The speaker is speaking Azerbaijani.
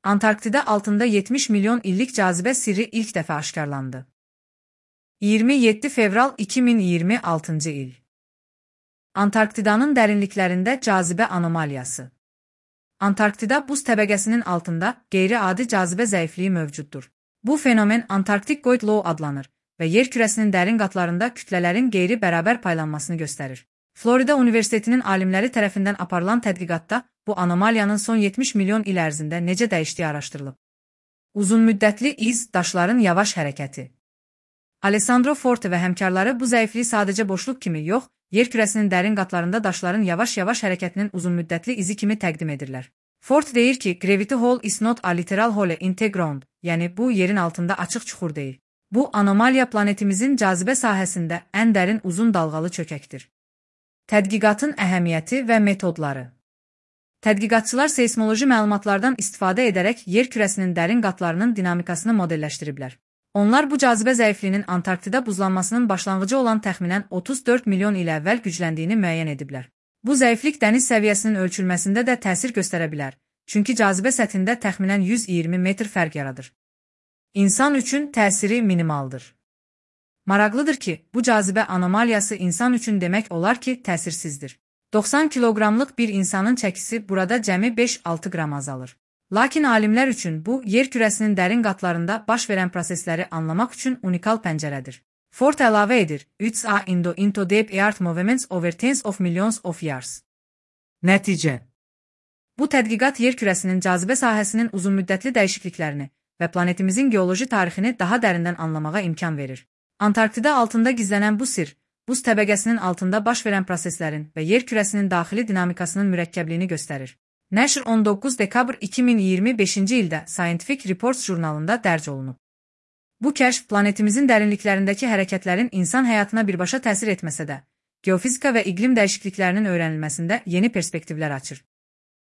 Antarktida altında 70 milyon illik cazibə sirri ilk dəfə aşkarlandı. 27 fevral 2026 il. Antarktidanın dərinliklərində cazibə anomaliyası. Antarktida buz təbəqəsinin altında qeyri-adi cazibə zəifliyi mövcuddur. Bu fenomen Antarktik Goyd Law adlanır və yer kürəsinin dərin qatlarında kütlələrin qeyri-bərabər paylanmasını göstərir. Florida Universitetinin alimləri tərəfindən aparılan tədqiqatda bu anomaliyanın son 70 milyon il ərzində necə dəyişdiyi araşdırılıb. Uzunmüddətli iz, daşların yavaş hərəkəti. Alessandro Forte və həmkarları bu zəifliyi sadəcə boşluq kimi yox, yer kürəsinin dərin qatlarında daşların yavaş-yavaş hərəkətinin uzunmüddətli izi kimi təqdim edirlər. Forte deyir ki, gravity hole is not a literal hole in the ground, yəni bu yerin altında açıq çuxur deyil. Bu anomaliya planetimizin cazibə sahəsində ən dərin uzun dalğalı çökəkdir. Tədqiqatın əhəmiyyəti və metodları. Tədqiqatçılar seysmoloji məlumatlardan istifadə edərək yer kürəsinin dərin qatlarının dinamikasını modelləşdiriblər. Onlar bu cazibə zəifliyinin Antarktida buzlanmasının başlanğıcı olan təxminən 34 milyon il əvvəl gücləndiyini müəyyən ediblər. Bu zəiflik dəniz səviyyəsinin ölçülməsində də təsir göstərə bilər, çünki cazibə səthində təxminən 120 metr fərq yaradır. İnsan üçün təsiri minimaldır. Maraqlıdır ki, bu cazibə anomaliyası insan üçün demək olar ki, təsirsizdir. 90 kiloqramlıq bir insanın çəkisi burada cəmi 5-6 qram azalır. Lakin alimlər üçün bu, yer kürəsinin dərin qatlarında baş verən prosesləri anlamaq üçün unikal pəncərədir. Forte əlavə edir, "It's a into deep earth movements over tens of millions of years." Nəticə. Bu tədqiqat yer kürəsinin cazibə sahəsinin uzunmüddətli dəyişikliklərini və planetimizin geoloji tarixini daha dərindən anlamağa imkan verir. Antarktida altında gizlənən bu sir, buz təbəqəsinin altında baş verən proseslərin və yer kürəsinin daxili dinamikasının mürəkkəbliyini göstərir. Nature 19 dekabr 2025-ci ildə Scientific Reports jurnalında dərc olunub. Bu kəşf planetimizin dərinliklərindəki hərəkətlərin insan həyatına birbaşa təsir etməsə də, geofizika və iqlim dəyişikliklərinin öyrənilməsində yeni perspektivlər açır.